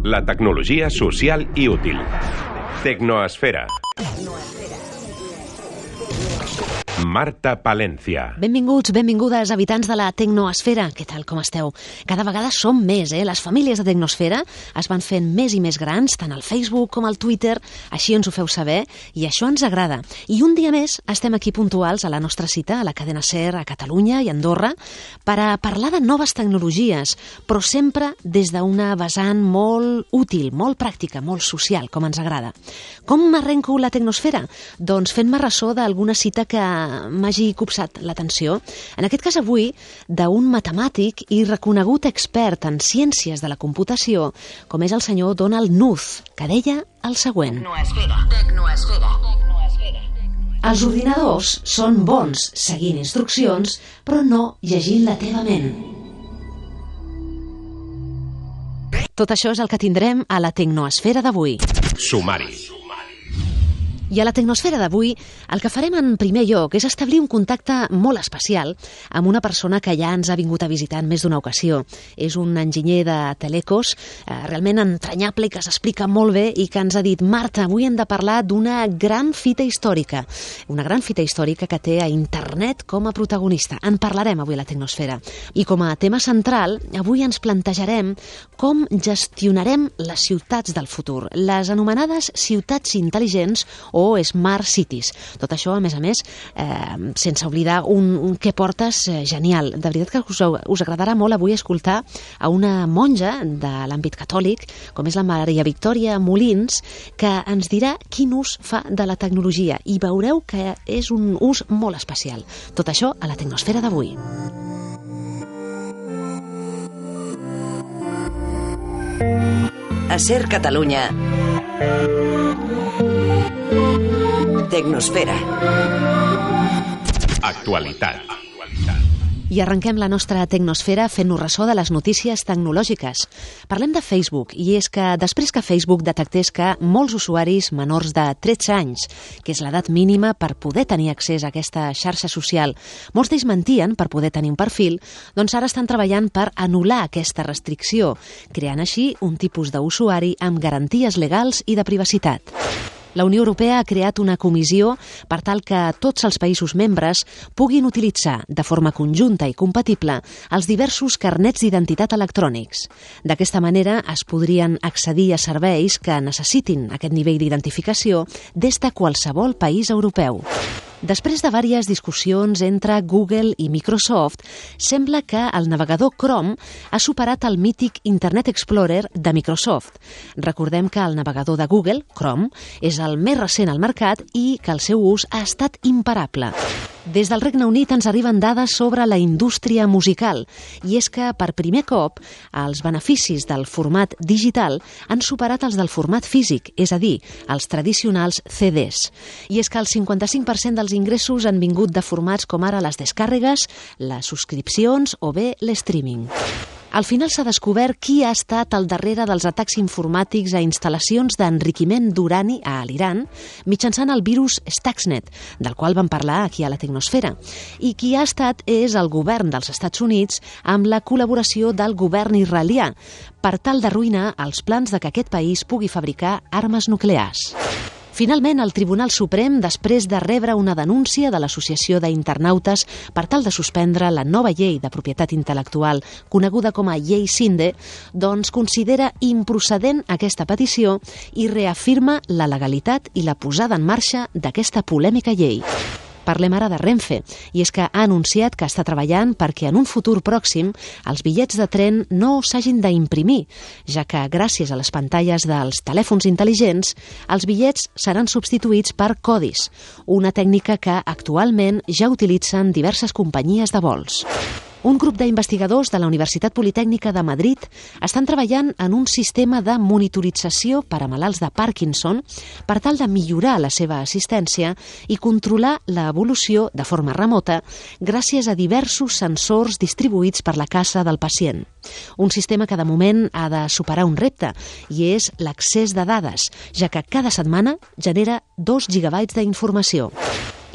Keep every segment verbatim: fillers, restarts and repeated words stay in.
La tecnologia social i útil. Tecnoesfera. Marta Palencia. Benvinguts, benvingudes, habitants de la Tecnoesfera. Què tal, com esteu? Cada vegada som més, eh? Les famílies de Tecnosfera es van fent més i més grans, tant al Facebook com al Twitter, així ens ho feu saber, i això ens agrada. I un dia més estem aquí puntuals a la nostra cita, a la cadena SER, a Catalunya i a Andorra, per a parlar de noves tecnologies, però sempre des d'una vessant molt útil, molt pràctica, molt social, com ens agrada. Com m'arrenco la Tecnosfera? Doncs fent-me ressò d'alguna cita que m'hagi copsat l'atenció. En aquest cas avui, d'un matemàtic i reconegut expert en ciències de la computació, com és el senyor Donald Knuth, que deia el següent. Tecnoesfera. Tecnoesfera. Tecnoesfera. Els ordinadors són bons seguint instruccions, però no llegint la teva ment. Tot això és el que tindrem a la Tecnoesfera d'avui. Sumari. I a la Tecnosfera d'avui el que farem en primer lloc és establir un contacte molt especial amb una persona que ja ens ha vingut a visitar en més d'una ocasió. És un enginyer de telecos, eh, realment entranyable i que s'explica molt bé i que ens ha dit: Marta, avui hem de parlar d'una gran fita històrica. Una gran fita històrica que té a internet com a protagonista. En parlarem avui a la Tecnosfera. I com a tema central, avui ens plantejarem com gestionarem les ciutats del futur, les anomenades ciutats intel·ligents o Smart Cities. Tot això, a més a més, eh, sense oblidar un, un què portes eh, genial. De veritat que us, us agradarà molt avui escoltar a una monja de l'àmbit catòlic, com és la Maria Victòria Molins, que ens dirà quin ús fa de la tecnologia i veureu que és un ús molt especial. Tot això a la Tecnosfera d'avui. A SER Catalunya. Tecnosfera. Actualitat. I arrenquem la nostra Tecnosfera fent-nos ressò de les notícies tecnològiques. Parlem de Facebook, i és que després que Facebook detectés que molts usuaris menors de tretze anys, que és l'edat mínima per poder tenir accés a aquesta xarxa social, molts d'ells mentien per poder tenir un perfil, doncs ara estan treballant per anul·lar aquesta restricció, creant així un tipus d'usuari amb garanties legals i de privacitat. La Unió Europea ha creat una comissió per tal que tots els països membres puguin utilitzar de forma conjunta i compatible els diversos carnets d'identitat electrònics. D'aquesta manera es podrien accedir a serveis que necessitin aquest nivell d'identificació des de qualsevol país europeu. Després de diverses discussions entre Google i Microsoft, sembla que el navegador Chrome ha superat el mític Internet Explorer de Microsoft. Recordem que el navegador de Google, Chrome, és el més recent al mercat i que el seu ús ha estat imparable. Des del Regne Unit ens arriben dades sobre la indústria musical, i és que per primer cop els beneficis del format digital han superat els del format físic, és a dir, els tradicionals C Ds. I és que el cinquanta-cinc per cent dels ingressos han vingut de formats com ara les descàrregues, les subscripcions o bé l'streaming. Al final s'ha descobert qui ha estat al darrere dels atacs informàtics a instal·lacions d'enriquiment d'urani a l'Iran mitjançant el virus Stuxnet, del qual vam parlar aquí a la Tecnosfera. I qui ha estat és el govern dels Estats Units amb la col·laboració del govern israelià per tal d'arruïnar els plans de que aquest país pugui fabricar armes nuclears. Finalment, el Tribunal Suprem, després de rebre una denúncia de l'Associació d'Internautes per tal de suspendre la nova llei de propietat intel·lectual coneguda com a Llei Cinde, doncs considera improcedent aquesta petició i reafirma la legalitat i la posada en marxa d'aquesta polèmica llei. Parlem ara de Renfe, i és que ha anunciat que està treballant perquè en un futur pròxim els bitllets de tren no s'hagin d'imprimir, ja que gràcies a les pantalles dels telèfons intel·ligents els bitllets seran substituïts per codis, una tècnica que actualment ja utilitzen diverses companyies de vols. Un grup d'investigadors de la Universitat Politècnica de Madrid estan treballant en un sistema de monitorització per a malalts de Parkinson per tal de millorar la seva assistència i controlar l'evolució de forma remota gràcies a diversos sensors distribuïts per la casa del pacient. Un sistema que de moment ha de superar un repte i és l'accés de dades, ja que cada setmana genera dos gigabytes d'informació.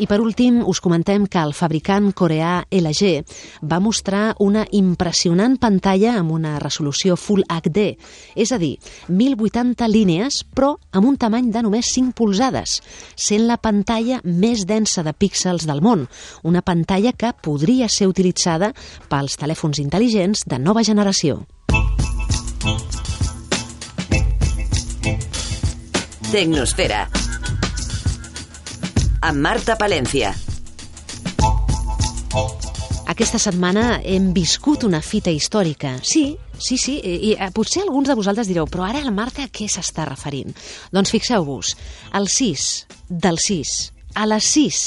I per últim, us comentem que el fabricant coreà L G va mostrar una impressionant pantalla amb una resolució Full H D, és a dir, mil vuitanta línies, però amb un tamany de només cinc polzades, sent la pantalla més densa de píxels del món, una pantalla que podria ser utilitzada pels telèfons intel·ligents de nova generació. Tecnosfera. Amb Marta Palencia. Aquesta setmana hem viscut una fita històrica. Sí, sí, sí, i, i potser alguns de vosaltres direu, però ara la Marta a què s'està referint? Doncs fixeu-vos, el sis del sis a les sis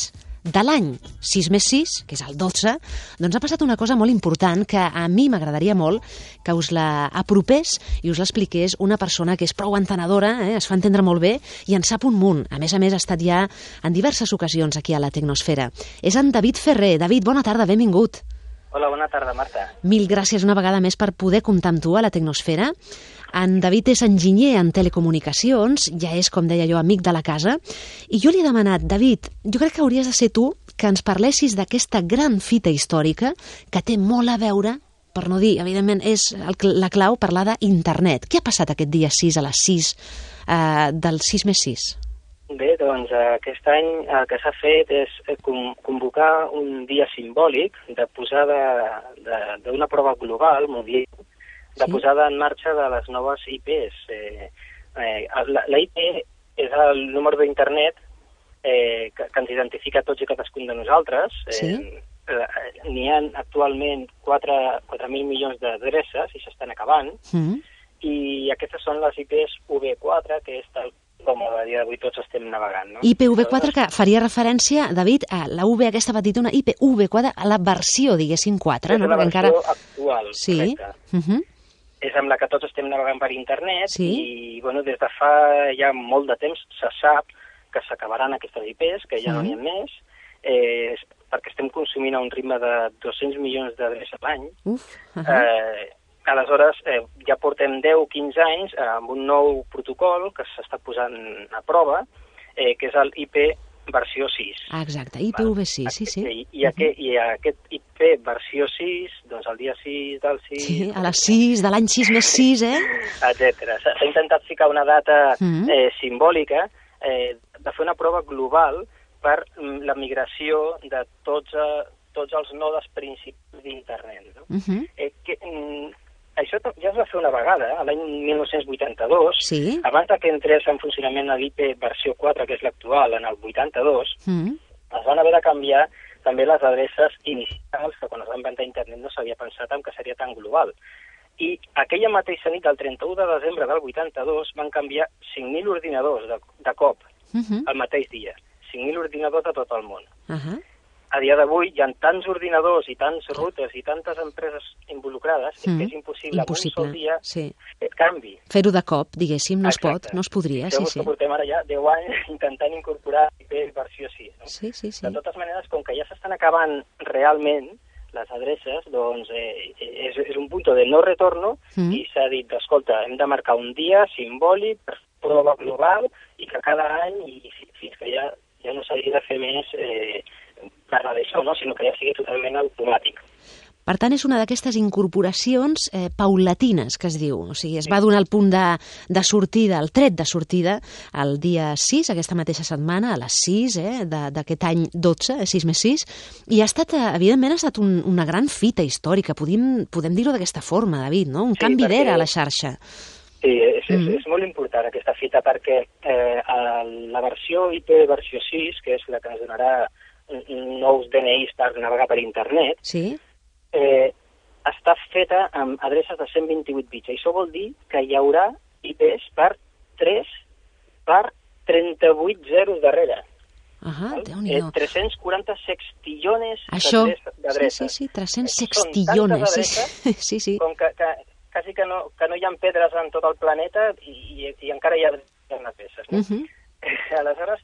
de l'any sis més sis, que és el dotze, doncs ha passat una cosa molt important que a mi m'agradaria molt que us la apropés i us l'expliqués una persona que és prou entenedora, eh, es fa entendre molt bé i en sap un munt. A més a més, ha estat ja en diverses ocasions aquí a la Tecnosfera. És en David Ferrer. David, bona tarda, benvingut. Hola, bona tarda, Marta. Mil gràcies una vegada més per poder comptar amb tu a la Tecnosfera. En David és enginyer en telecomunicacions, ja és, com deia jo, amic de la casa, i jo li he demanat, David, jo crec que hauries de ser tu que ens parlessis d'aquesta gran fita històrica que té molt a veure, per no dir, evidentment, és el, la clau parlar d'internet. Què ha passat aquest dia sis a les sis eh, del sis més sis? Bé, doncs aquest any el que s'ha fet és convocar un dia simbòlic de posada d'una prova global, mundial, de posada en marxa de les noves I Pes. Eh, eh, la, la I P és el número d'internet eh, que, que ens identifica tots i cadascun de nosaltres. Sí. Eh, N'hi ha actualment quatre mil milions d'adreces i s'estan acabant, mm. i aquestes són les I Pes U V quatre, que és tal com a dia d'avui tots estem navegant. No? I P V quatre, que faria referència, David, a la U V aquesta petita, una I P V quatre, a la versió, diguéssim, quatre. És no? la versió encara... actual, sí. correcte. Uh-huh. És amb la que tots estem navegant per internet, sí. I bueno, des de fa ja molt de temps se sap que s'acabaran aquestes I Pes, que ja uh-huh. no n'hi ha més, eh, perquè estem consumint a un ritme de dos-cents milions d'adreces a l'any. Uh-huh. eh, aleshores, eh, ja portem deu o quinze anys eh, amb un nou protocol que s'està posant a prova, eh, que és el I P versió sis. Ah, exacte, I P V sis, sí, sí. I, i, aquest, I aquest I P versió sis, doncs el dia sis del sis... Sí, a les sis de l'any sis més sis, eh? Etcètera. S'ha intentat ficar una data mm. eh, simbòlica eh, de fer una prova global per la migració de tots, eh, tots els nodes principals d'internet. No? Uh-huh. eh, que, mm, això ja es va fer una vegada, eh, l'any mil nou-cents vuitanta-dos, sí. Abans que entrés en funcionament l'I P versió quatre, que és l'actual, en el vuitanta-dos, mm. es van haver de canviar també les adreces inicials, que quan es va inventar internet no s'havia pensat en que seria tan global. I aquella mateixa nit, el trenta-u de desembre del vuitanta-dos, van canviar cinc mil ordinadors de, de cop, uh-huh. el mateix dia. cinc mil ordinadors de tot el món. Uh-huh. A dia d'avui hi ha tants ordinadors i tants routers i tantes empreses involucrades mm. que és impossible, impossible. en un sol dia sí. fer canvi. Fer-ho de cop, diguéssim, no Exacte. es pot, no es podria. Sí, sí, sí. Portem ara ja deu anys intentant incorporar I P versió sis. No? Sí, sí, sí. De totes maneres, com que ja s'estan acabant realment les adreces, doncs eh, és, és un punt de no retorno mm. i s'ha dit, escolta, hem de marcar un dia simbòlic per prova global i que cada any, i fins que ja, ja no s'hagi de fer més... Eh, parlar d'això, no? Sinó que ja sigui totalment automàtic. Per tant, és una d'aquestes incorporacions eh, paulatines, que es diu. O sigui, es va donar el punt de, de sortida, el tret de sortida, el dia sis, aquesta mateixa setmana, a les sis eh, d'aquest any dotze, sis més sis, i ha estat, evidentment, ha estat un, una gran fita històrica. Podem, podem dir-ho d'aquesta forma, David, no? Un sí, canvi d'era a la xarxa. Sí, és, és, és molt important aquesta fita, perquè eh, la versió I P versió sis, que és la que ens donarà nous D N Is per navegar per internet, sí. eh, està feta amb adreces de cent vint-i-vuit bits. Això vol dir que hi haurà I Pes per tres per trenta-vuit zeros darrere. Ah, eh, tres-cents quaranta sextillones Sí, d'adreces. sí, sí, tres-cents sextillones. Adreces, sí, sí. Com que, que quasi que no, que no hi ha pedres en tot el planeta i, i, i encara hi ha peces. No? Uh-huh. Aleshores,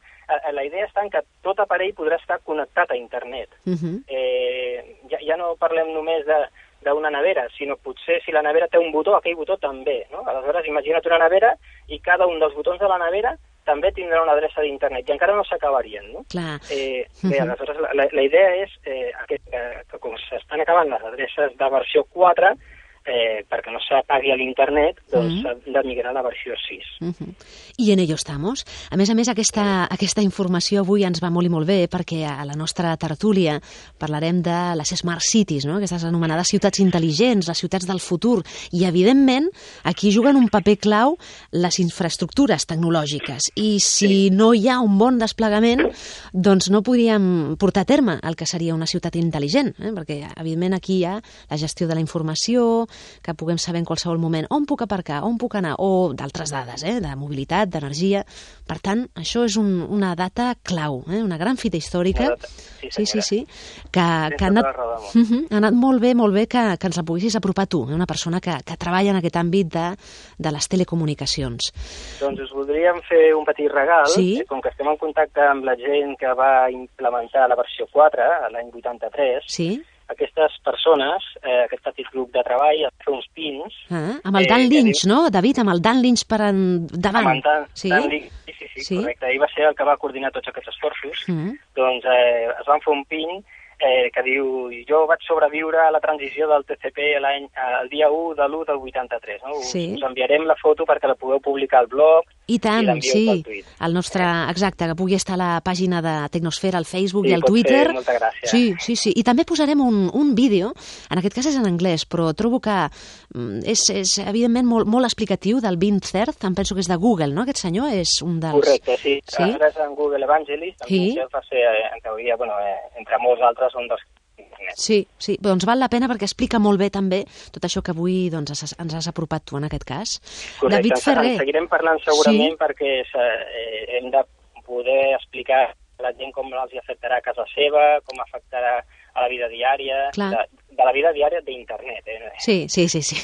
la idea està en que tot aparell podrà estar connectat a internet. Uh-huh. eh, ja, ja no parlem només d'una nevera, sinó potser si la nevera té un botó, aquell botó també. No? Aleshores, imagina't una nevera i cada un dels botons de la nevera també tindrà una adreça d'internet i encara no s'acabarien, no? Clar. Eh, bé, aleshores, la, la idea és eh, aquest, que, que com s'estan acabant les adreces de versió quatre, eh, perquè no s'apagui a l'internet, doncs s'ha uh -huh. de migrar a la versió sis. Uh -huh. I en ello estamos. A més a més, aquesta, aquesta informació avui ens va molt i molt bé, perquè a la nostra tertúlia parlarem de les Smart Cities, no? Aquestes anomenades ciutats intel·ligents, les ciutats del futur, i evidentment aquí juguen un paper clau les infraestructures tecnològiques, i si sí. no hi ha un bon desplegament, doncs no podríem portar a terme el que seria una ciutat intel·ligent, eh? Perquè evidentment aquí hi ha la gestió de la informació, que puguem saber en qualsevol moment on puc aparcar, on puc anar, o d'altres dades, eh, de mobilitat, d'energia. Per tant, això és un, una data clau, eh, una gran fita històrica. Sí, sí, sí, sí, que, que ha, anat, uh -huh, ha anat molt bé, molt bé que, que ens la poguessis apropar tu, eh, una persona que, que treballa en aquest àmbit de, de les telecomunicacions. Doncs us voldríem fer un petit regal, sí? eh, com que estem en contacte amb la gent que va implementar la versió quatre, l'any vuitanta-tres, sí? Aquestes persones, eh, aquest petit grup de treball, han fet uns pins... Ah, amb el Dan eh, Lynch, diu... no, David? Amb el Dan Lynch per endavant. Amb el Dan, sí? Dan Lynch, sí, sí, sí, sí, correcte. Ell va ser el que va coordinar tots aquests esforços. Mm. Doncs eh, es van fer un pin eh, que diu, jo vaig sobreviure a la transició del T C P l'any, el dia u de l'u del vuitanta-tres. No? Sí. Us, us enviarem la foto perquè la podeu publicar al blog. I tant, sí, el nostre, exacte, que pugui estar a la pàgina de Tecnosfera, al Facebook sí, i al Twitter. Fer, molta gràcia. Sí, sí, sí, i també posarem un, un vídeo, en aquest cas és en anglès, però trobo que és, és evidentment molt, molt explicatiu, del Vint Cerf, em penso que és de Google, no, aquest senyor? És un dels... Correcte, sí, sí? Ara és en Google Evangelist, en sí? Cerf va ser, en teoria, bueno, eh, entre molts altres, un dels... Sí, sí, doncs val la pena perquè explica molt bé també tot això que avui doncs, ens has apropat tu en aquest cas. Correcte, David Ferrer. En seguirem parlant segurament sí? perquè eh, hem de poder explicar a la gent com els afectarà a casa seva, com afectarà a la vida diària, de, de la vida diària d'internet. Eh? Sí, sí, sí. sí.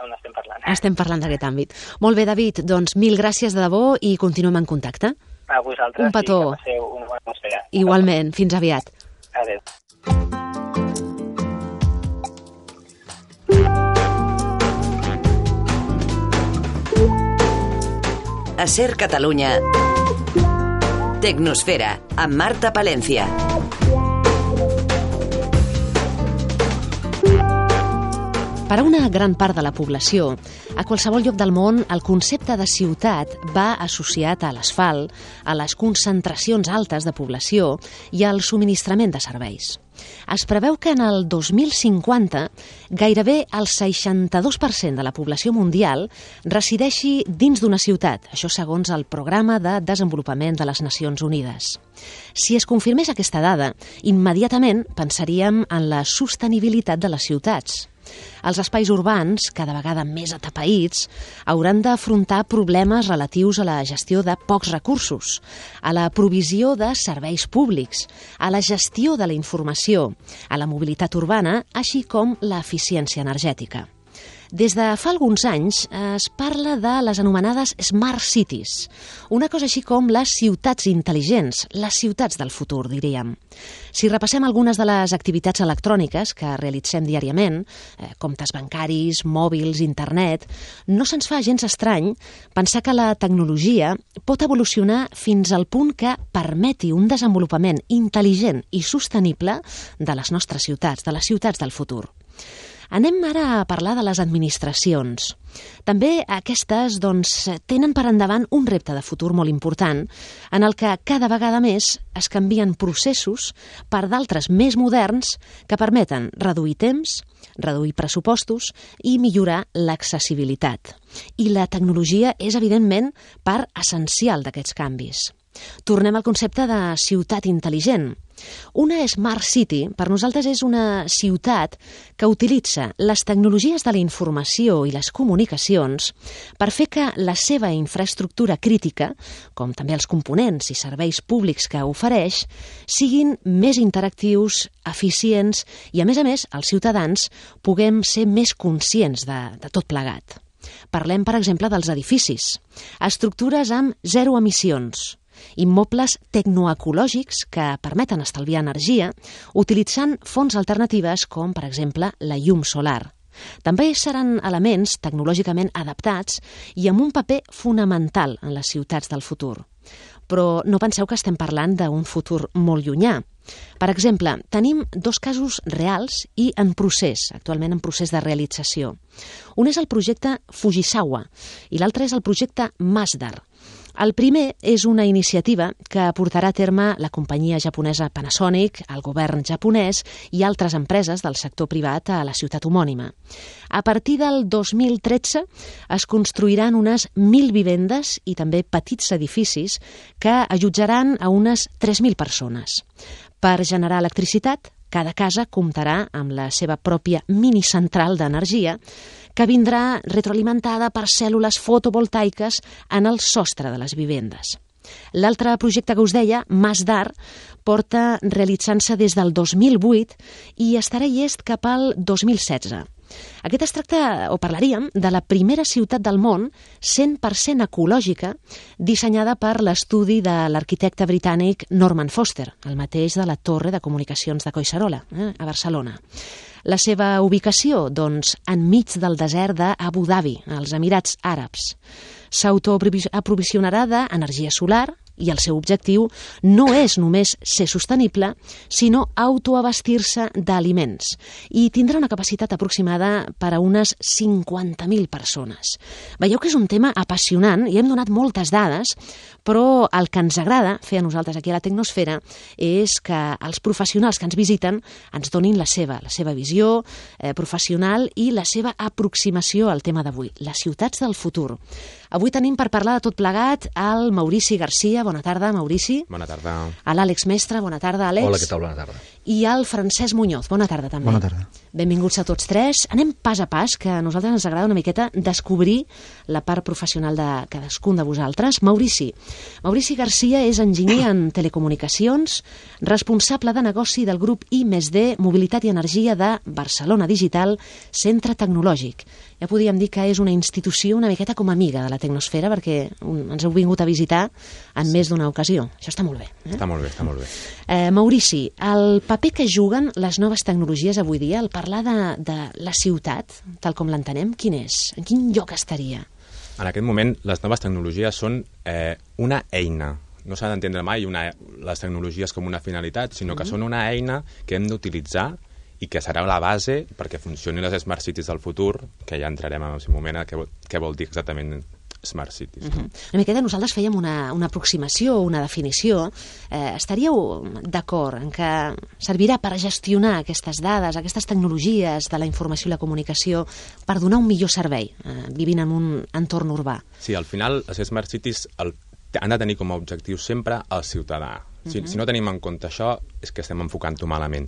On estem parlant. Estem parlant d'aquest àmbit. Molt bé, David, doncs mil gràcies de debò i continuem en contacte. A vosaltres. Un petó. I que passeu una bona atmosfera. Igualment, fins aviat. Adéu. A Ser Catalunya, Tecnosfera, amb Marta Palencia. Per a una gran part de la població, a qualsevol lloc del món, el concepte de ciutat va associat a l'asfalt, a les concentracions altes de població i al subministrament de serveis. Es preveu que en el dos mil cinquanta gairebé el seixanta-dos per cent de la població mundial resideixi dins d'una ciutat, això segons el Programa de Desenvolupament de les Nacions Unides. Si es confirmés aquesta dada, immediatament pensaríem en la sostenibilitat de les ciutats. Els espais urbans, cada vegada més atapeïts, hauran d'afrontar problemes relatius a la gestió de pocs recursos, a la provisió de serveis públics, a la gestió de la informació, a la mobilitat urbana, així com l'eficiència energètica. Des de fa alguns anys es parla de les anomenades Smart Cities, una cosa així com les ciutats intel·ligents, les ciutats del futur, diríem. Si repassem algunes de les activitats electròniques que realitzem diàriament, eh, comptes bancaris, mòbils, internet, no se'ns fa gens estrany pensar que la tecnologia pot evolucionar fins al punt que permeti un desenvolupament intel·ligent i sostenible de les nostres ciutats, de les ciutats del futur. Anem ara a parlar de les administracions. També aquestes doncs, tenen per endavant un repte de futur molt important en el que cada vegada més es canvien processos per d'altres més moderns que permeten reduir temps, reduir pressupostos i millorar l'accessibilitat. I la tecnologia és, evidentment, part essencial d'aquests canvis. Tornem al concepte de ciutat intel·ligent. Una Smart City, per nosaltres, és una ciutat que utilitza les tecnologies de la informació i les comunicacions per fer que la seva infraestructura crítica, com també els components i serveis públics que ofereix, siguin més interactius, eficients i, a més a més, els ciutadans puguem ser més conscients de, de tot plegat. Parlem, per exemple, dels edificis. Estructures amb zero emissions, immobles tecnoecològics que permeten estalviar energia utilitzant fonts alternatives com, per exemple, la llum solar. també seran elements tecnològicament adaptats i amb un paper fonamental en les ciutats del futur. Però no penseu que estem parlant d'un futur molt llunyà. Per exemple, tenim dos casos reals i en procés, actualment en procés de realització. Un és el projecte Fujisawa i l'altre és el projecte Masdar. El primer és una iniciativa que portarà a terme la companyia japonesa Panasonic, el govern japonès i altres empreses del sector privat a la ciutat homònima. A partir del dos mil tretze es construiran unes mil vivendes i també petits edificis que allotjaran a unes tres mil persones. Per generar electricitat, cada casa comptarà amb la seva pròpia minicentral d'energia que vindrà retroalimentada per cèl·lules fotovoltaiques en el sostre de les vivendes. L'altre projecte que us deia, Masdar, porta realitzant-se des del dos mil vuit i estarà llest cap al dos mil setze. Aquest es tracta, o parlaríem, de la primera ciutat del món cent per cent ecològica dissenyada per l'estudi de l'arquitecte britànic Norman Foster, el mateix de la Torre de Comunicacions de Collserola, eh, a Barcelona. La seva ubicació, doncs, enmig del desert d'Abu Dhabi, als Emirats Àrabs. S'autoaprovisionarà d'energia solar i el seu objectiu no és només ser sostenible, sinó autoabastir-se d'aliments i tindrà una capacitat aproximada per a unes cinquanta mil persones. Veieu que és un tema apassionant i hem donat moltes dades, però el que ens agrada fer a nosaltres aquí a la Tecnosfera és que els professionals que ens visiten ens donin la seva, la seva visió eh, professional i la seva aproximació al tema d'avui, les ciutats del futur. Avui tenim per parlar de tot plegat el Maurici Garcia. Bona tarda, Maurici. Bona tarda. A l'Àlex Mestre. Bona tarda, Àlex. Hola, què tal? Bona tarda. I al Francesc Muñoz. Bona tarda, també. Bona tarda. Benvinguts a tots tres. Anem pas a pas, que a nosaltres ens agrada una miqueta descobrir la part professional de cadascun de vosaltres. Maurici. Maurici Garcia és enginyer en telecomunicacions, responsable de negoci del grup I més D, Mobilitat i Energia de Barcelona Digital, Centre Tecnològic. Ja podríem dir que és una institució una miqueta com amiga de la Tecnosfera, perquè ens heu vingut a visitar en més d'una ocasió. Això està molt bé. Eh? Està molt bé, està molt bé. Eh, Maurici, el paper que juguen les noves tecnologies avui dia, el parlar de, de la ciutat, tal com l'entenem, quin és? En quin lloc estaria? En aquest moment, les noves tecnologies són eh, una eina. No s'ha d'entendre mai una, les tecnologies com una finalitat, sinó que mm. són una eina que hem d'utilitzar i que serà la base perquè funcionin les Smart Cities del futur, que ja entrarem en un moment a què, què vol dir exactament Smart Cities. No? Uh-huh. Una miqueta nosaltres fèiem una, una aproximació, una definició. Eh, estaríeu d'acord en que servirà per gestionar aquestes dades, aquestes tecnologies de la informació i la comunicació per donar un millor servei, eh, vivint en un entorn urbà? Sí, al final les Smart Cities el, han de tenir com a objectiu sempre el ciutadà. Si, uh-huh. si no tenim en compte això, és que estem enfocant-ho malament.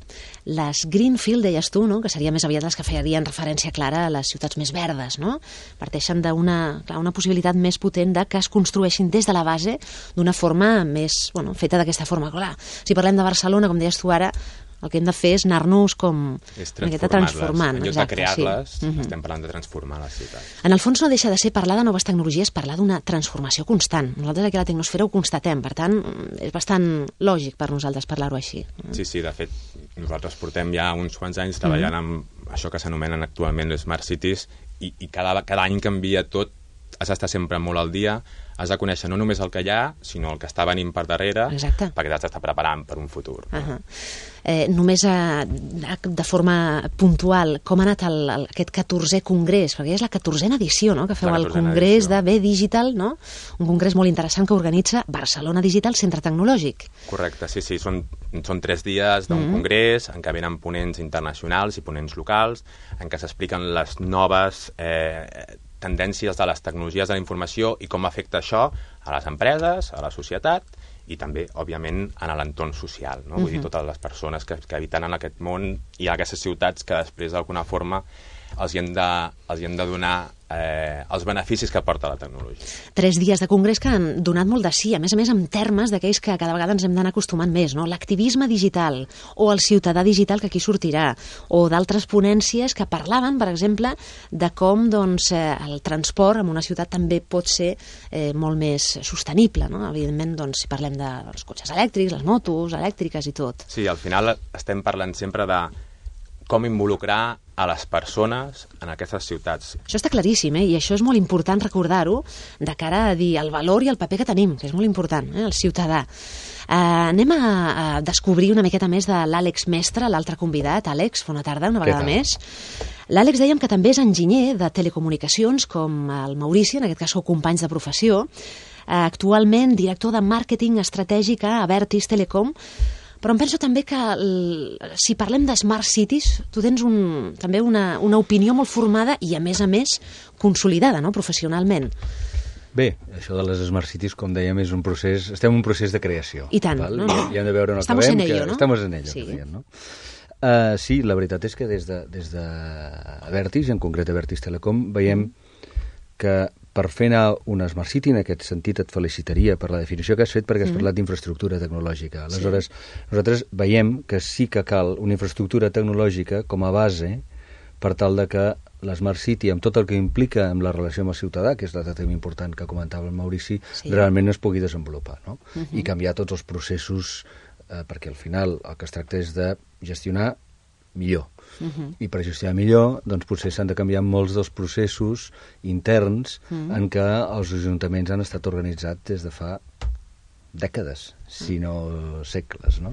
Les Greenfield, deies tu, no? Que seria més aviat les que farien referència clara a les ciutats més verdes, no? Parteixen d'una clar, una possibilitat més potent de que es construeixin des de la base d'una forma més, bueno, feta d'aquesta forma. Clar, si parlem de Barcelona, com deies tu ara, el que hem de fer és anar-nos com transformant. En lloc de crear-les, sí. uh-huh. estem parlant de transformar les ciutats. En el fons no deixa de ser parlar de noves tecnologies, parlar d'una transformació constant. Nosaltres aquí a la Tecnosfera ho constatem, per tant, és bastant lògic per nosaltres parlar-ho així. Sí, sí, de fet, nosaltres portem ja uns quants anys treballant uh-huh. amb això que s'anomenen actualment les Smart Cities i, i cada, cada any canvia tot, has d'estar sempre molt al dia, has de conèixer no només el que hi ha, sinó el que està venint per darrere, exacte. Perquè t'has d'estar preparant per un futur. Uh-huh. eh, només a, de forma puntual, com ha anat el, el, aquest catorzè congrés? Perquè és la catorzena edició, no?, que feu el congrés edició. de B Digital, no? Un congrés molt interessant que organitza Barcelona Digital, Centre Tecnològic. Correcte, sí, sí, són, són tres dies d'un mm-hmm. congrés en què venen ponents internacionals i ponents locals, en què s'expliquen les noves eh, tendències de les tecnologies de la informació i com afecta això a les empreses, a la societat i també, òbviament, en l'entorn social. No? Uh-huh. Vull dir, totes les persones que, que habiten en aquest món i en aquestes ciutats que després, d'alguna forma, els hi hem de, els hi hem de donar eh, els beneficis que aporta la tecnologia. Tres dies de congrés que han donat molt de sí, a més a més en termes d'aquells que cada vegada ens hem d'anar acostumant més, no? L'activisme digital o el ciutadà digital que aquí sortirà, o d'altres ponències que parlaven, per exemple, de com doncs, eh, el transport en una ciutat també pot ser eh, molt més sostenible, no? Evidentment, doncs, si parlem dels cotxes elèctrics, les motos elèctriques i tot. Sí, al final estem parlant sempre de com involucrar a les persones en aquestes ciutats. Això està claríssim, eh? I això és molt important recordar-ho de cara a dir el valor i el paper que tenim, que és molt important, eh? El ciutadà. Uh, anem a, a descobrir una miqueta més de l'Àlex Mestre, l'altre convidat. Àlex, bona tarda, una vegada més. L'Àlex dèiem que també és enginyer de telecomunicacions, com el Maurici, en aquest cas sou companys de professió, uh, actualment director de màrqueting estratègic a Abertis Telecom, però em penso també que el, si parlem de Smart Cities, tu tens un, també una, una opinió molt formada i, a més a més, consolidada, no?, professionalment. Bé, això de les Smart Cities, com dèiem, és un procés... Estem en un procés de creació. I tant. Val? No, no. I hem de veure on Estamos acabem. en ello, que no? Estamos en ello, sí. que deien, no? Uh, sí, la veritat és que des de, des de Abertis, en concret Abertis Telecom, veiem que per fer anar una Smart City, en aquest sentit et felicitaria per la definició que has fet, perquè has mm. parlat d'infraestructura tecnològica. Aleshores, sí. nosaltres veiem que sí que cal una infraestructura tecnològica com a base per tal de que la Smart City, amb tot el que implica amb la relació amb el ciutadà, que és l'altre tema important que comentava el Maurici, sí. realment es pugui desenvolupar, no? Uh-huh. I canviar tots els processos, eh, perquè al final el que es tracta és de gestionar millor. Uh-huh. I per gestionar millor, doncs potser s'han de canviar molts dels processos interns uh-huh. en què els ajuntaments han estat organitzats des de fa dècades, si no segles, no?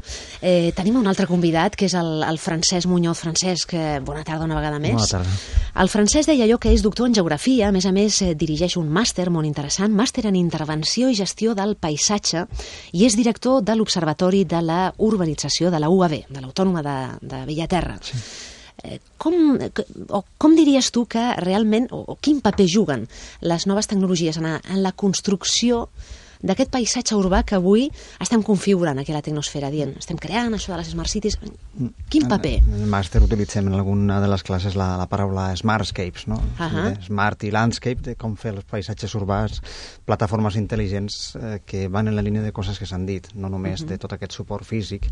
Eh, tenim un altre convidat, que és el, el Francesc Muñoz. Francesc, eh, bona tarda una vegada més. Bona tarda. El Francesc deia allò que és doctor en geografia, a més a més eh, dirigeix un màster molt interessant, màster en intervenció i gestió del paisatge, i és director de l'Observatori de la Urbanització de la U A B, de l'Autònoma de, de Bellaterra. Sí. Eh, com, o, com diries tu que realment, o, o quin paper juguen les noves tecnologies en, a, en la construcció d'aquest paisatge urbà que avui estem configurant aquí a la Tecnosfera, dient, estem creant això de les Smart Cities. Quin paper? En el màster utilitzem en alguna de les classes la, la paraula Smartscapes, no? Uh-huh. Smart i landscape, de com fer els paisatges urbans, plataformes intel·ligents eh, que van en la línia de coses que s'han dit, no només uh-huh. de tot aquest suport físic,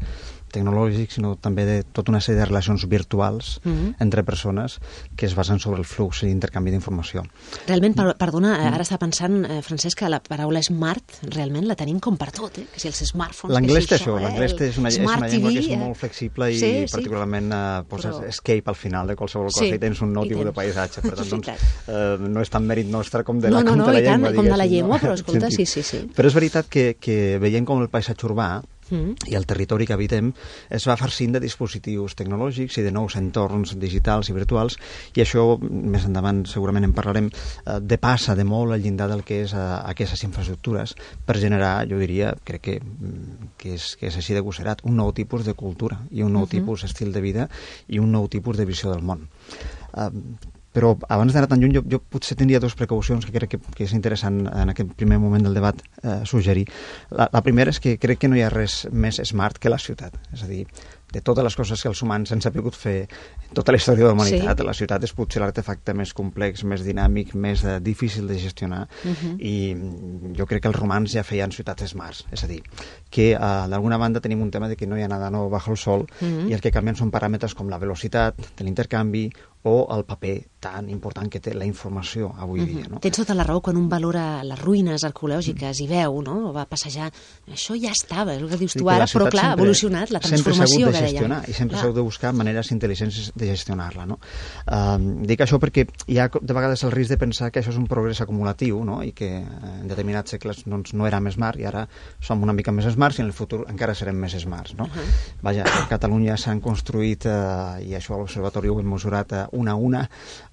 tecnològic, sinó també de tota una sèrie de relacions virtuals uh-huh. entre persones que es basen sobre el flux i intercanvi d'informació. Realment, per, perdona, ara està pensant, eh, Francesc, que la paraula smart realment la tenim com per tot, eh? Que si els smartphones... L'anglès té si això, eh? l'anglès és una, és una llengua T V, que és molt flexible i sí, particularment sí. eh, poses Però... escape al final de qualsevol cosa sí, i tens un nou tipus de paisatge. Per tant, doncs, eh, no és tant mèrit nostre com de la, no, no, no, com de la i llengua, tant, com de la llengua, no? però escolta, sí, sí, sí. Però és veritat que, que veiem com el paisatge urbà Mm. i el territori que habitem es va farcint de dispositius tecnològics i de nous entorns digitals i virtuals, i això, més endavant segurament en parlarem, eh, depassa de molt el llindar del que és eh, aquestes infraestructures per generar, jo diria, crec que, que, és, que és així de gosserat, un nou tipus de cultura i un nou uh-huh. tipus d'estil de vida i un nou tipus de visió del món. Eh, Però abans d'anar tan lluny, jo, jo potser tindria dues precaucions que crec que, que és interessant en aquest primer moment del debat eh, suggerir. La, la primera és que crec que no hi ha res més smart que la ciutat. És a dir, de totes les coses que els humans han sabut fer en tota la història de la humanitat, sí. la ciutat és potser l'artefacte més complex, més dinàmic, més eh, difícil de gestionar, uh-huh. i jo crec que els romans ja feien ciutats smarts. És a dir, que eh, d'alguna banda tenim un tema de que no hi ha nada nou bajo el sol, uh-huh. i el que canvien són paràmetres com la velocitat de l'intercanvi o el paper tan important que té la informació avui uh-huh. dia. No? Tens tota la raó, quan un valora les ruïnes arqueològiques i veu, no? O va passejar, això ja estava, és el que dius tu ara, però clar, ha evolucionat la transformació que gestionar, i sempre s'heu de buscar maneres intel·ligents de gestionar-la, no? Um, dic això perquè hi ha de vegades el risc de pensar que això és un progrés acumulatiu, no? I que en determinats segles doncs, no érem smart i ara som una mica més smarts i en el futur encara serem més smarts, no? Uh-huh. Vaja, a Catalunya s'han construït, uh, i això a l'Observatori ho hem mesurat, uh, una a una,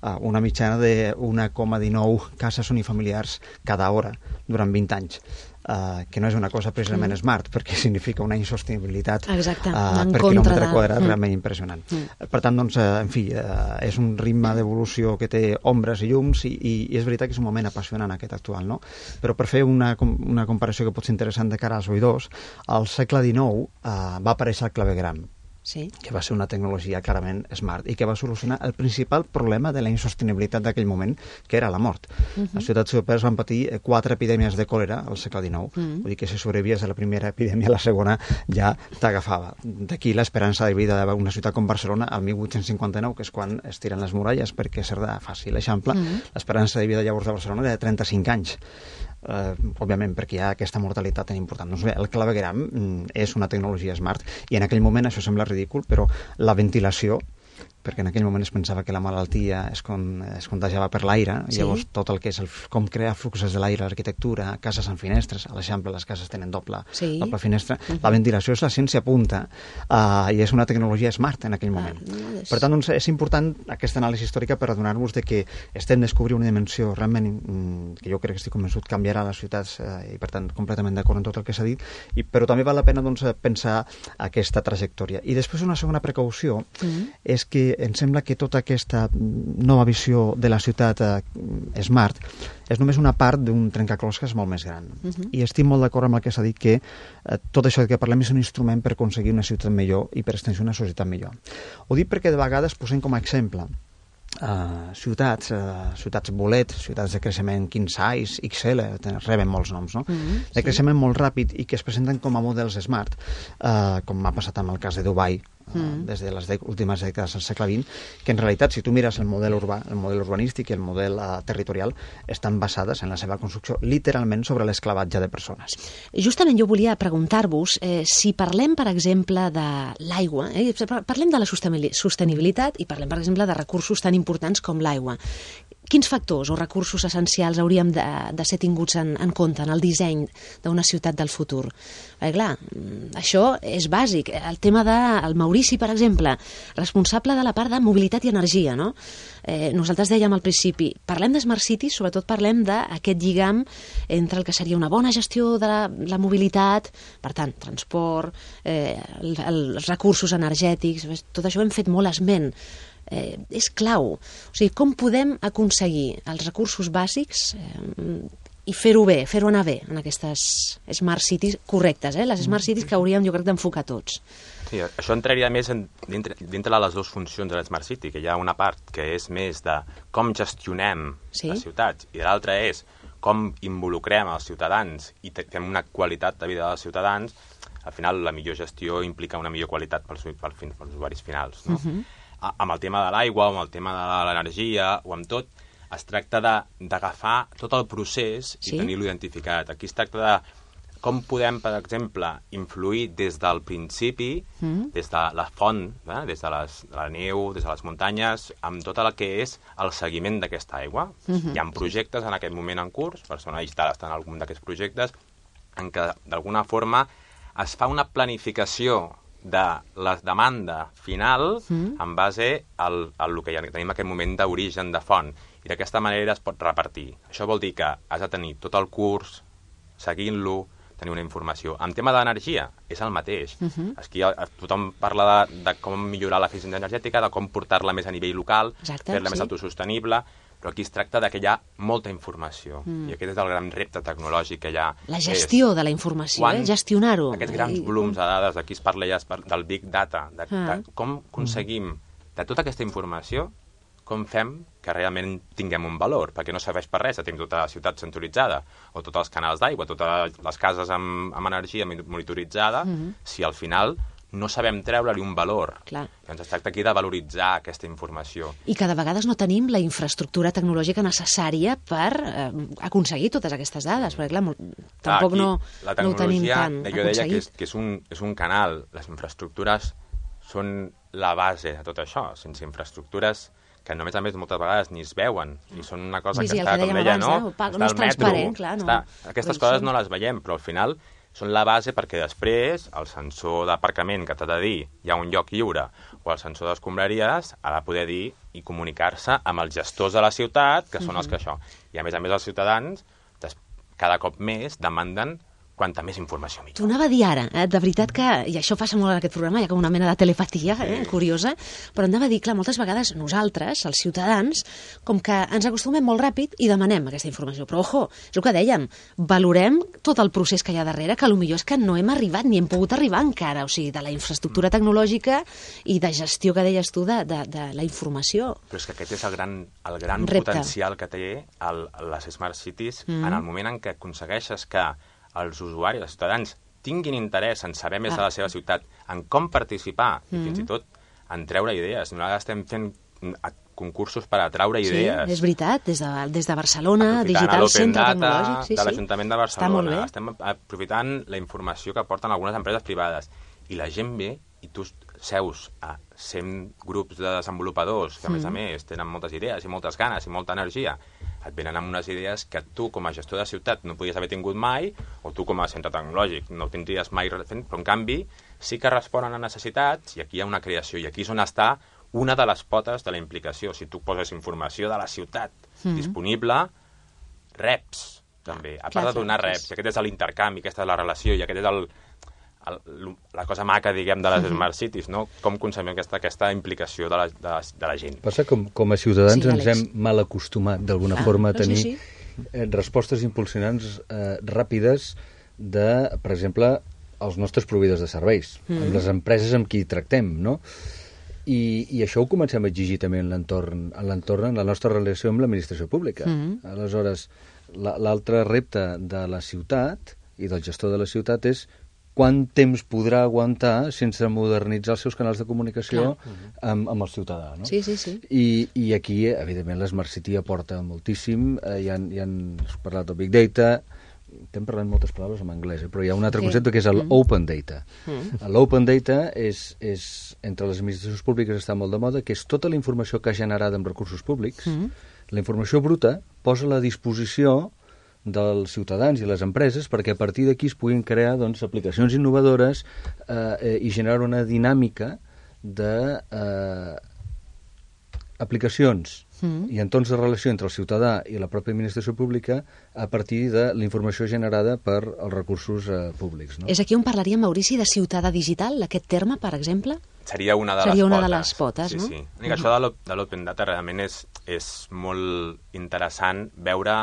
uh, una mitjana de un coma dinou cases unifamiliars cada hora durant vint anys. Uh, que no és una cosa precisament mm. smart, perquè significa una insostenibilitat Exacte, uh, per quilòmetre de... quadrat mm. realment impressionant. Mm. Per tant, doncs, uh, en fi, uh, és un ritme d'evolució que té ombres i llums, i, i, i és veritat que és un moment apassionant aquest actual, no? Però per fer una, una comparació que pot ser interessant de cara als oïdors, al segle dinou uh, va aparèixer el clavegram, sí. que va ser una tecnologia clarament smart i que va solucionar el principal problema de la insostenibilitat d'aquell moment, que era la mort. Uh-huh. Les ciutats europees van patir quatre epidèmies de còlera al segle dinou, uh-huh. vull dir que si sobrevivies a la primera epidèmia, la segona ja t'agafava. D'aquí l'esperança de vida d'una ciutat com Barcelona al mil vuit-cents cinquanta-nou, que és quan es tiren les muralles, perquè Cerdà faci l'eixample, uh-huh. l'esperança de vida llavors de Barcelona era de trenta-cinc anys. Uh, òbviament perquè hi ha aquesta mortalitat tan important. Doncs bé, el clavegram mm, és una tecnologia smart, i en aquell moment això sembla ridícul, però la ventilació perquè en aquell moment es pensava que la malaltia es, con, es contagiava per l'aire, sí. Llavors tot el que és el, com crear fluxos de l'aire, l'arquitectura, cases amb finestres, a l'Eixample les cases tenen doble, sí. doble finestra, uh -huh. La ventilació és la ciència punta uh, i és una tecnologia smart en aquell moment. Ah, no és... Per tant, doncs, és important aquesta anàlisi històrica per adonar-nos de que estem descobrint una dimensió realment mm, que jo crec que estic convençut canviarà les ciutats eh, i per tant completament d'acord amb tot el que s'ha dit, i, però també val la pena doncs, pensar aquesta trajectòria. I després una segona precaució mm. és que em sembla que tota aquesta nova visió de la ciutat eh, smart és només una part d'un trencaclosques molt més gran. Uh -huh. I estic molt d'acord amb el que s'ha dit que eh, tot això que parlem és un instrument per aconseguir una ciutat millor i per extensió una societat millor. Ho dic perquè de vegades posem com a exemple Uh, ciutats, uh, ciutats bolet, ciutats de creixement king size, X L, reben molts noms, no? Mm-hmm, de creixement sí. molt ràpid i que es presenten com a models smart, uh, com ha passat amb el cas de Dubai, uh, mm. des de les de últimes dècades del segle vint, que en realitat, si tu mires el model urbà, el model urbanístic i el model uh, territorial, estan basades en la seva construcció literalment sobre l'esclavatge de persones. Justament jo volia preguntar-vos eh, si parlem, per exemple, de l'aigua, eh, parlem de la sostenibilitat i parlem, per exemple, de recursos tan importants com l'aigua. Quins factors o recursos essencials hauríem de, de ser tinguts en, en compte en el disseny d'una ciutat del futur? Perquè, clar, això és bàsic. El tema del Maurici, per exemple, responsable de la part de mobilitat i energia, no? Eh, nosaltres dèiem al principi, parlem de Smart Cities, sobretot parlem d'aquest lligam entre el que seria una bona gestió de la, la mobilitat, per tant, transport, eh, el, els recursos energètics, tot això hem fet molt esment. Eh, és clau. O sigui, com podem aconseguir els recursos bàsics eh, i fer-ho bé, fer-ho anar bé en aquestes Smart Cities correctes, eh? Les Smart Cities que hauríem, jo crec, d'enfocar tots. Sí, això entraria més en, dintre, dintre de les dues funcions de la Smart City, que hi ha una part que és més de com gestionem sí? les ciutats i l'altra és com involucrem els ciutadans i fem una qualitat de vida dels ciutadans. Al final, la millor gestió implica una millor qualitat pels, pels, pels usuaris finals, no? Uh-huh. Amb el tema de l'aigua, amb el tema de l'energia o amb tot, es tracta d'agafar tot el procés i sí? tenir-lo identificat. Aquí es tracta de com podem, per exemple, influir des del principi, mm. des de la font, eh? des de, les, de la neu, des de les muntanyes, amb tot el que és el seguiment d'aquesta aigua. Mm-hmm. Hi ha projectes en aquest moment en curs, Barcelona està en algun d'aquests projectes, en què d'alguna forma es fa una planificació de la demanda final mm. en base al, al que ja tenim en aquest moment d'origen de font. I d'aquesta manera es pot repartir. Això vol dir que has de tenir tot el curs, seguint-lo, tenir una informació. En tema d'energia, és el mateix. Mm-hmm. Aquí tothom parla de, de com millorar l'eficiència energètica, de com portar-la més a nivell local, fer-la sí. més autosostenible, però aquí es tracta de que hi ha molta informació. Mm. I aquest és el gran repte tecnològic que hi ha. La gestió és, de la informació, eh? Gestionar-ho. Aquests grans volums de dades, aquí es parla ja del Big Data, de, ah. de com aconseguim de tota aquesta informació, com fem que realment tinguem un valor, perquè no serveix per res, tenim tota la ciutat centralitzada, o tots els canals d'aigua, totes les cases amb, amb energia monitoritzada, mm-hmm. si al final no sabem treure-li un valor. Clar. Doncs es tracta aquí de valoritzar aquesta informació. I que de vegades no tenim la infraestructura tecnològica necessària per eh, aconseguir totes aquestes dades, perquè clar, molt, clar tampoc no, no ho tenim tan jo aconseguit. Jo deia que, és, que és, un, és un canal, les infraestructures són la base de tot això. Sense infraestructures que només a més moltes vegades ni es veuen, i són una cosa sí, que sí, està, que com deia, no? no? No és transparent, clar, no. Està, aquestes però coses són... no les veiem, però al final són la base perquè després el sensor d'aparcament que t'ha de dir hi ha un lloc lliure o el sensor d'escombraries ha de poder dir i comunicar-se amb els gestors de la ciutat, que són mm-hmm. els que això. I a més a més els ciutadans cada cop més demanden quanta més informació millor. T'ho anava a dir ara, eh? De veritat que, i això passa molt en aquest programa, hi ha com una mena de telepatia eh? sí. curiosa, però anava a dir, clar, moltes vegades nosaltres, els ciutadans, com que ens acostumem molt ràpid i demanem aquesta informació. Però, ojo, és el que dèiem, valorem tot el procés que hi ha darrere, que potser és que no hem arribat ni hem pogut arribar encara, o sigui, de la infraestructura tecnològica i de gestió que deies tu de, de, de la informació. Però és que aquest és el gran, el gran potencial que té el, les Smart Cities mm. en el moment en què aconsegueixes que els usuaris, els ciutadans, tinguin interès en saber més ah. de la seva ciutat, en com participar, mm. i fins i tot en treure idees. Nosaltres estem fent concursos per atraure sí, idees. Sí, és veritat, des de, des de Barcelona, Digital Centre Tecnològic. Sí, de l'Ajuntament de Barcelona. Estem aprofitant la informació que aporten algunes empreses privades. I la gent ve i tu seus a cent grups de desenvolupadors que, a més a més, tenen moltes idees i moltes ganes i molta energia, et venen amb unes idees que tu, com a gestor de ciutat, no podies haver tingut mai, o tu, com a centre tecnològic, no ho tindries mai fent, però, en canvi, sí que responen a necessitats, i aquí hi ha una creació, i aquí és on està una de les potes de la implicació. Si tu poses informació de la ciutat mm-hmm. disponible, reps, també. A part de donar reps, i aquest és l'intercanvi, aquesta és la relació, i aquest és el, el, la cosa maca, diguem, de les mm-hmm. Smart Cities, no? Com concebem aquesta, aquesta implicació de la, de, la, de la gent. Passa com, com a ciutadans sí, ens hem mal acostumat, d'alguna ah, forma, a tenir sí, sí. Eh, respostes impulsionants eh, ràpides de, per exemple, els nostres proveïdors de serveis, mm. amb les empreses amb qui tractem, no? I, i això ho comencem a exigir també en l'entorn, en l'entorn, en la nostra relació amb l'administració pública. Mm. Aleshores, l'altre repte de la ciutat i del gestor de la ciutat és quant temps podrà aguantar sense modernitzar els seus canals de comunicació amb, amb el ciutadà, no? Sí, sí, sí. I, i aquí, evidentment, l'Smart City aporta moltíssim. Eh, hi han, hi han parlat del Big Data, estem parlant moltes paraules en anglès, eh? Però hi ha un altre sí. concepte que és l'Open mm. Data. Mm. L'Open Data és, és, entre les administracions públiques està molt de moda, que és tota la informació que ha generada amb recursos públics, mm. la informació bruta posa a la disposició dels ciutadans i les empreses perquè a partir d'aquí es puguin crear doncs, aplicacions innovadores eh, i generar una dinàmica de eh, aplicacions mm. i entorns de relació entre el ciutadà i la pròpia administració pública a partir de la informació generada per els recursos eh, públics. No? És aquí on parlaríem, Maurici, de ciutadà digital, aquest terme, per exemple? Seria una de Seria les una potes. de les potes, sí, no? Sí, sí. Uh-huh. Això de l'Open Data realment és, és molt interessant veure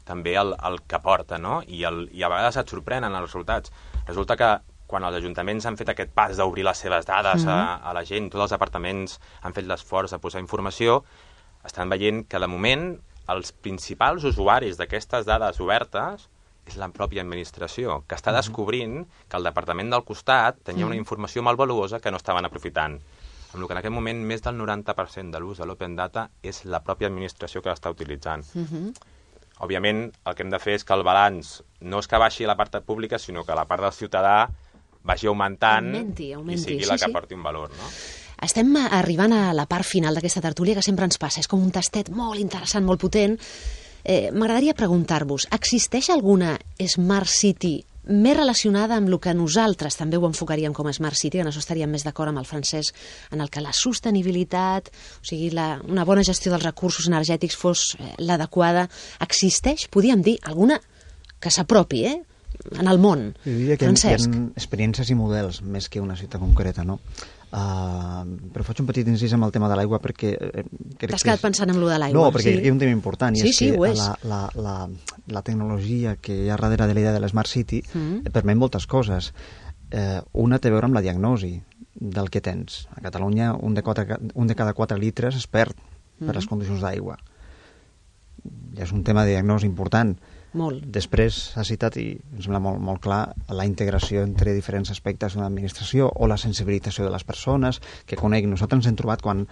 també el, el que porta, no? I, el, i a vegades et sorprenen els resultats. Resulta que quan els ajuntaments han fet aquest pas d'obrir les seves dades mm-hmm. a, a la gent, tots els departaments han fet l'esforç de posar informació, estan veient que de moment els principals usuaris d'aquestes dades obertes és la pròpia administració, que està descobrint que el departament del costat tenia una informació molt valuosa que no estaven aprofitant. Amb el que en aquest moment més del noranta per cent de l'ús de l'Open Data és la pròpia administració que l'està utilitzant. Mm-hmm. Òbviament, el que hem de fer és que el balanç no és que baixi la part pública, sinó que la part del ciutadà vagi augmentant augmenti, augmenti. i sigui sí, la que sí. porti un valor, no? Estem arribant a la part final d'aquesta tertúlia que sempre ens passa. És com un tastet molt interessant, molt potent. Eh, M'agradaria preguntar-vos, existeix alguna Smart City més relacionada amb el que nosaltres també ho enfocaríem com a Smart City, en això estaríem més d'acord amb el Francesc, en el que la sostenibilitat, o sigui, la, una bona gestió dels recursos energètics fos eh, l'adequada. Existeix, podríem dir, alguna que s'apropi, eh?, en el món. Jo diria que Francesc. hi ha experiències i models més que una ciutat concreta, no? Uh, però faig un petit incís amb el tema de l'aigua perquè... Eh, T'has quedat és... pensant en allò de l'aigua. No, perquè sí. hi ha un tema important i sí, és sí, que és. la, la, la, la tecnologia que hi ha darrere de la idea de l'Smart City mm. permet moltes coses. Eh, una té a veure amb la diagnosi del que tens. A Catalunya un de, quatre, un de cada quatre litres es perd mm. per les condicions d'aigua. Ja és un tema de diagnosi important. Molt. Després s'ha citat, i em sembla molt, molt clar, la integració entre diferents aspectes d'una administració o la sensibilització de les persones que conec. Nosaltres ens hem trobat quan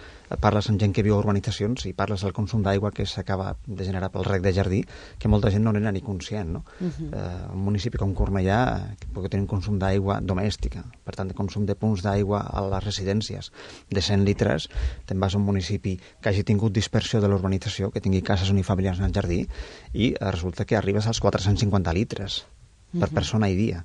parles amb gent que viu a urbanitzacions i parles del consum d'aigua que s'acaba de generar pel rec de jardí, que molta gent no n'era ni conscient, no? Uh-huh. eh, un municipi com Cornellà que pot tenir un consum d'aigua domèstica, per tant, de consum de punts d'aigua a les residències de cent litres. Te'n vas a un municipi que hagi tingut dispersió de l'urbanització, que tingui cases unifamiliars en el jardí, i eh, resulta que arriba als quatre-cents cinquanta litres per uh-huh. persona i dia.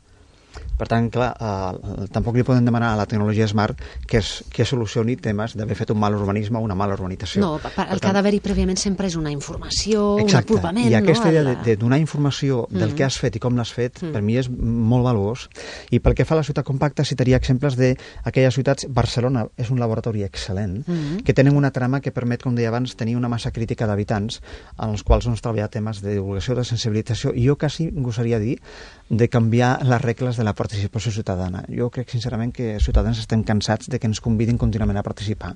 Per tant, clar, eh, tampoc li podem demanar a la tecnologia Smart que, es, que solucioni temes d'haver fet un mal urbanisme o una mala urbanització. No, per, el per que ha d'haver-hi prèviament sempre és una informació, exacte. Un apropament. I aquesta no, idea la... de, de donar informació del mm-hmm. que has fet i com l'has fet, mm. per mi és molt valuós. I pel que fa a la ciutat compacta, citaria exemples d'aquelles ciutats. Barcelona és un laboratori excel·lent, mm-hmm. que tenen una trama que permet, com deia abans, tenir una massa crítica d'habitants en els quals doncs, treballar temes de divulgació, de sensibilització, i jo quasi gosaria dir de canviar les regles de la participació ciutadana. Jo crec, sincerament, que els ciutadans estem cansats de que ens convidin contínuament a participar.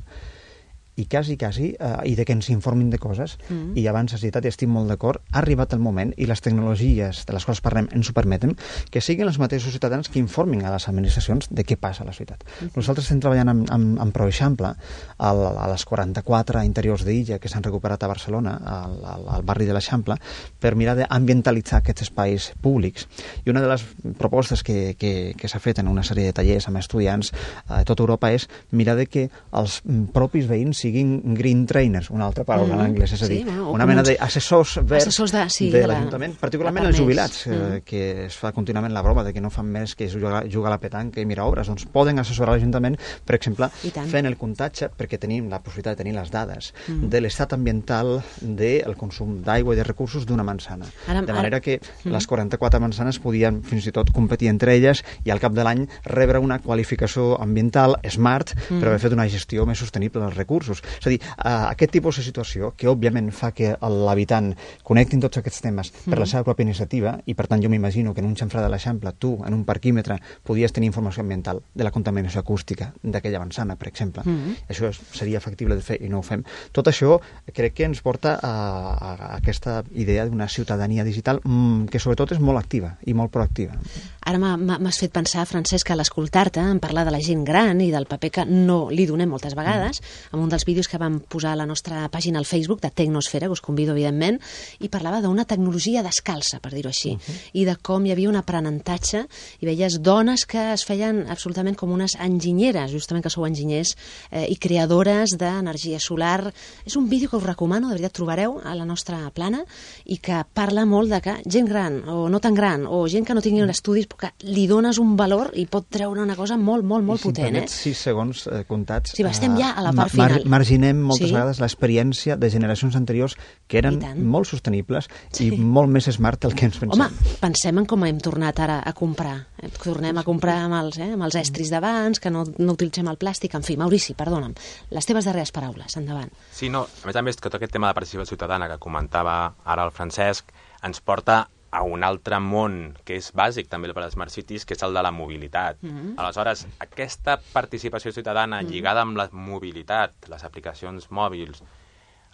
i quasi, quasi, eh, i de que ens informin de coses, mm. i abans has dit, i estic molt d'acord, ha arribat el moment, i les tecnologies de les quals parlem ens ho permeten, que siguin els mateixos ciutadans que informin a les administracions de què passa a la ciutat. Mm. Nosaltres estem treballant amb, amb, amb ProExample a les quaranta-quatre interiors d'illa que s'han recuperat a Barcelona, al, al, al barri de l'Eixample, per mirar d'ambientalitzar aquests espais públics. I una de les propostes que, que, que s'ha fet en una sèrie de tallers amb estudiants a eh, tota Europa és mirar de que els propis veïns siguin green trainers, una altra paraula mm. en anglès, és a dir, sí, bueno, una mena d'assessors verds assessors de, sí, de, de l'Ajuntament, particularment els jubilats, mm. eh, que es fa contínuament la broma de que no fan més que jugar, jugar a la petanca i mirar obres, doncs poden assessorar l'Ajuntament, per exemple, fent el comptatge, perquè tenim la possibilitat de tenir les dades mm. de l'estat ambiental del consum d'aigua i de recursos d'una manzana. Ara, de manera que ara... les quaranta-quatre manzanes podien fins i tot competir entre elles i al cap de l'any rebre una qualificació ambiental smart mm. per haver fet una gestió més sostenible dels recursos. És a dir, uh, aquest tipus de situació que òbviament fa que l'habitant connectin tots aquests temes mm. per la seva pròpia iniciativa, i per tant jo m'imagino que en un xamfrà de l'Eixample tu, en un parquímetre, podies tenir informació ambiental de la contaminació acústica d'aquella manzana, per exemple. Mm. Això seria factible de fer i no ho fem. Tot això crec que ens porta a, a, a aquesta idea d'una ciutadania digital mmm, que sobretot és molt activa i molt proactiva. Ara m'has fet pensar, Francesc, que a l'escoltar-te en parlar de la gent gran i del paper que no li donem moltes vegades, mm. en un dels vídeos que vam posar a la nostra pàgina al Facebook de Tecnosfera, que us convido evidentment, i parlava d'una tecnologia descalça, per dir-ho així, uh -huh. i de com hi havia un aprenentatge i veies dones que es feien absolutament com unes enginyeres, justament que sou enginyers eh, i creadores d'energia solar. És un vídeo que us recomano, de veritat, trobareu a la nostra plana, i que parla molt de que gent gran, o no tan gran, o gent que no tingui estudis, que li dones un valor i pot treure una cosa molt, molt, molt I si potent. Eh? sis segons eh, comptats. Sí, estem ja a la part mar final. Marginem moltes sí. vegades l'experiència de generacions anteriors que eren molt sostenibles sí. i molt més smart del que ens pensem. Home, pensem en com hem tornat ara a comprar. Tornem a comprar amb els, eh, amb els estris d'abans, que no, no utilitzem el plàstic. En fi, Maurici, perdona'm, les teves darreres paraules, endavant. Sí, no, a més a més, que tot aquest tema de participació ciutadana que comentava ara el Francesc ens porta a un altre món que és bàsic també per a les Smart Cities, que és el de la mobilitat. Mm-hmm. Aleshores, aquesta participació ciutadana mm-hmm. lligada amb la mobilitat, les aplicacions mòbils,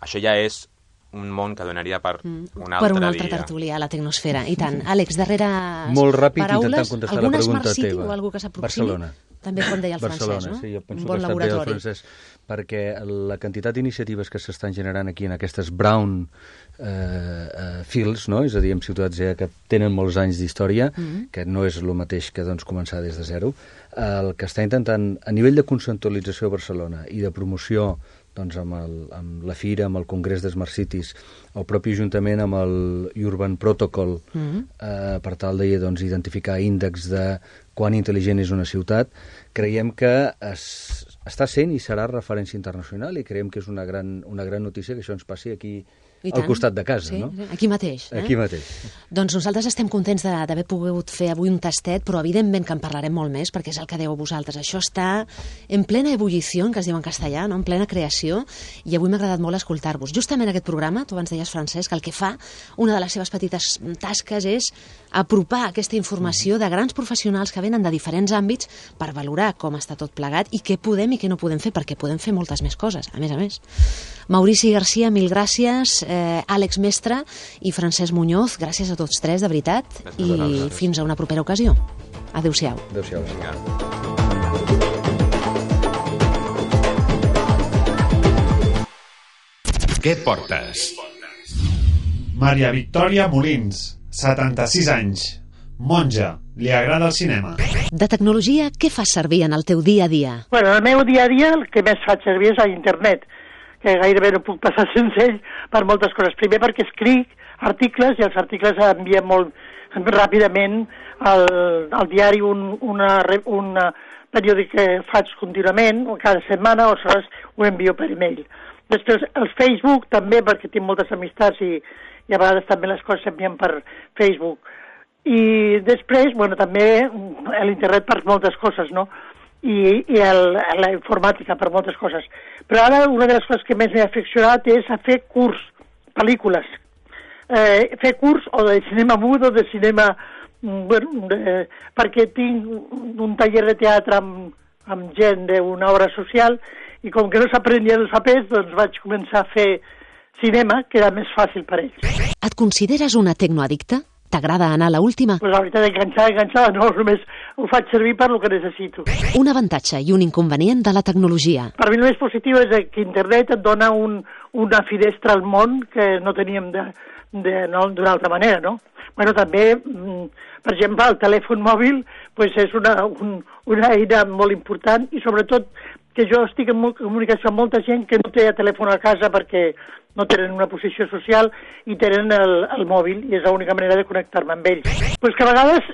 això ja és un món que donaria per mm. un altre dia. Per un altre tertulià a la Tecnosfera. I tant. Àlex, darrere molt ràpid, paraules, intentant contestar la pregunta City, teva. O algú que s'aproximi? Barcelona. També, com deia el Barcelona, francès, no? Sí, jo penso un bon que laboratori. El francès, perquè la quantitat d'iniciatives que s'estan generant aquí en aquestes brown eh, eh, fields, no? És a dir, en ciutats ja que tenen molts anys d'història, mm-hmm. que no és el mateix que doncs, començar des de zero, el que està intentant, a nivell de conceptualització a Barcelona i de promoció doncs, amb, el, amb la Fira, amb el Congrés de Smart Cities, el propi Ajuntament amb el Urban Protocol, mm-hmm. eh, per tal de doncs, identificar índexs de quan intel·ligent és una ciutat, creiem que es, està sent i serà referència internacional, i creiem que és una gran, una gran notícia que això ens passi aquí al costat de casa, sí, no? Aquí mateix. Eh? Aquí mateix. Doncs nosaltres estem contents d'haver pogut fer avui un tastet, però evidentment que en parlarem molt més, perquè és el que deu a vosaltres. Això està en plena ebullició, que es diu en castellà, no? En plena creació, i avui m'ha agradat molt escoltar-vos. Justament aquest programa, tu abans deies, Francesc, el que fa, una de les seves petites tasques és apropar aquesta informació de grans professionals que venen de diferents àmbits per valorar com està tot plegat i què podem i què no podem fer, perquè podem fer moltes més coses, a més a més. Maurici Garcia, mil gràcies. Eh, Àlex Mestre i Francesc Muñoz, gràcies a tots tres, de veritat, i fins a una propera ocasió. Adéu-siau. Adéu-siau. Què portes? Maria Victòria Molins, setanta-sis anys, monja, li agrada el cinema. De tecnologia, què fas servir en el teu dia a dia? Bueno, el meu dia a dia el que més faig servir és a internet, que gairebé no puc passar sense ell per moltes coses. Primer perquè escric articles i els articles envien molt ràpidament al, al diari un, una, una periòdic que faig contínuament, cada setmana, o aleshores ho envio per e-mail. Després el Facebook també, perquè tinc moltes amistats i, i a vegades també les coses s'envien per Facebook. I després, bueno, també l'internet per moltes coses, no? i, i el, la informàtica per moltes coses. Però ara una de les coses que més m'he aficionat és a fer curs, pel·lícules. Eh, fer curs o de cinema mut o de cinema... Bueno, de, perquè tinc un taller de teatre amb, amb gent d'una obra social i com que no s'aprenien els papers, doncs vaig començar a fer cinema, que era més fàcil per ells. Et consideres una tecnoaddicta? T'agrada anar a l'última? Pues la veritat, enganxada, enganxada, no, només ho faig servir per lo que necessito. Un avantatge i un inconvenient de la tecnologia. Per mi el més positiu és que internet et dona un, una finestra al món que no teníem de, de, no, d'una altra manera, no? Bueno, també, per exemple, el telèfon mòbil pues és una, un, una eina molt important i sobretot que jo estic en comunicació amb molta gent que no té telèfon a casa perquè no tenen una posició social i tenen el, el mòbil i és l'única manera de connectar-me amb ells. Pues que a vegades,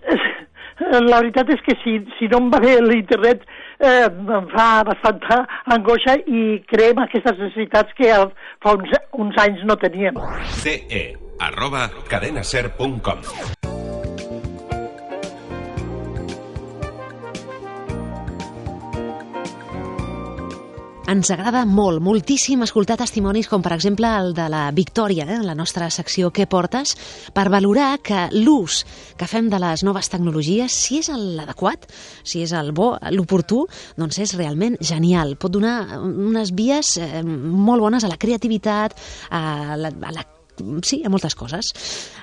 la veritat és que si, si no em va bé l'internet eh, em fa bastanta angoixa i creem aquestes necessitats que fa uns, uns anys no teníem. ce e arroba cadenaser punt com Ens agrada molt, moltíssim escoltar testimonis com, per exemple, el de la Victòria, eh, en la nostra secció Què portes?, per valorar que l'ús que fem de les noves tecnologies, si és l'adequat, si és el bo, l'oportú, doncs és realment genial. Pot donar unes vies eh, molt bones a la creativitat, a la, a la sí, a moltes coses.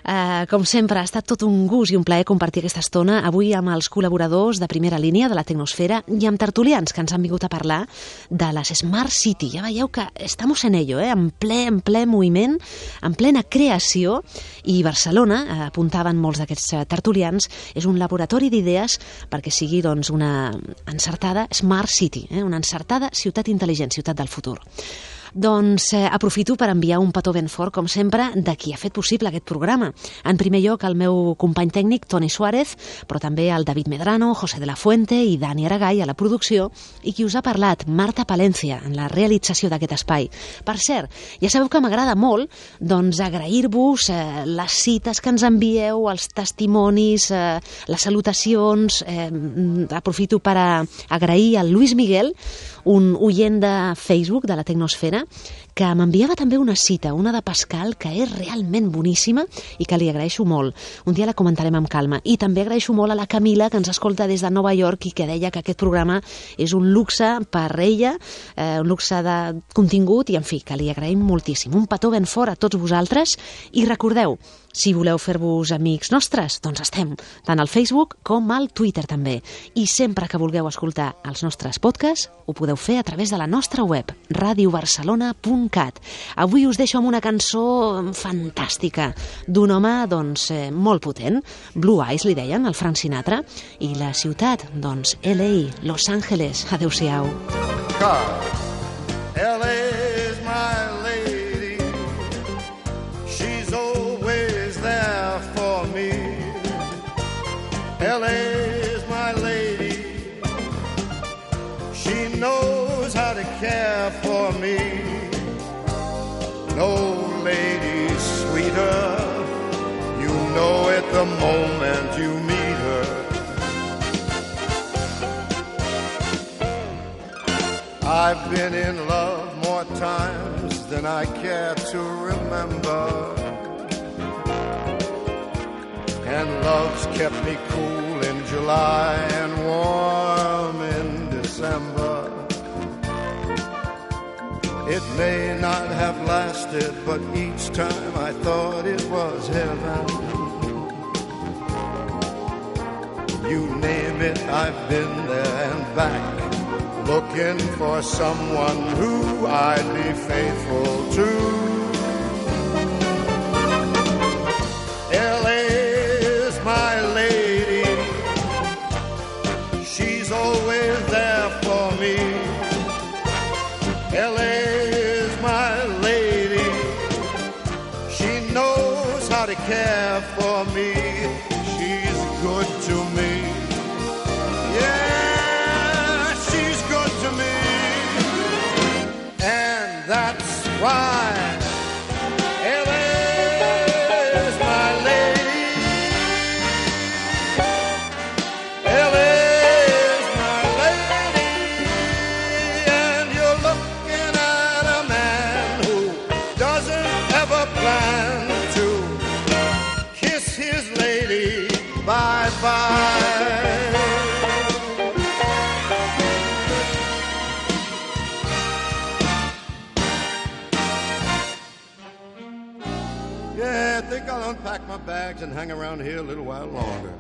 Uh, com sempre, ha estat tot un gust i un plaer compartir aquesta estona avui amb els col·laboradors de primera línia de la Tecnosfera i amb tertulians que ens han vingut a parlar de les Smart City. Ja veieu que estamos en ello, eh? en, ple, en ple moviment, en plena creació, i Barcelona, eh, apuntaven molts d'aquests tertulians, és un laboratori d'idees perquè sigui doncs, una encertada Smart City, eh? una encertada ciutat intel·ligent, ciutat del futur. Doncs eh, aprofito per enviar un petó ben fort, com sempre, de qui ha fet possible aquest programa. En primer lloc, el meu company tècnic, Toni Suárez, però també el David Medrano, José de la Fuente i Dani Aragay a la producció, i qui us ha parlat, Marta Palencia, en la realització d'aquest espai. Per cert, ja sabeu que m'agrada molt doncs, agrair-vos eh, les cites que ens envieu, els testimonis, eh, les salutacions. Eh, aprofito per a agrair al Luis Miguel, un oient de Facebook de la Tecnosfera, que m'enviava també una cita, una de Pascal, que és realment boníssima i que li agraeixo molt. Un dia la comentarem amb calma. I també agraeixo molt a la Camila, que ens escolta des de Nova York i que deia que aquest programa és un luxe per ella, eh, un luxe de contingut i, en fi, que li agraïm moltíssim. Un petó ben fort a tots vosaltres i recordeu, si voleu fer-vos amics nostres, doncs estem tant al Facebook com al Twitter també. I sempre que vulgueu escoltar els nostres podcasts, ho podeu fer a través de la nostra web, radio barcelona punt cat. Avui us deixo amb una cançó fantàstica d'un home doncs, eh, molt potent. Blue Eyes li deien, el Frank Sinatra, i la ciutat, doncs, L A, Los Angeles. Adéu-siau. L A is my lady. She's always there for me. L A is my lady. She knows how to care for me. No lady sweeter. You know it the moment you meet her. I've been in love more times than I care to remember, and love's kept me cool in July and warm in December. It may not have lasted, but each time I thought it was heaven. You name it, I've been there and back, looking for someone who I'd be faithful to. L A is my lady. She's always there for me. L A is my lady. She knows how to care for me. She's good to me. Yeah, she's good to me. And that's why L A is my lady. L A is my lady. And you're looking at a man who doesn't ever plan to kiss his lady bye-bye. I think I'll unpack my bags and hang around here a little while longer.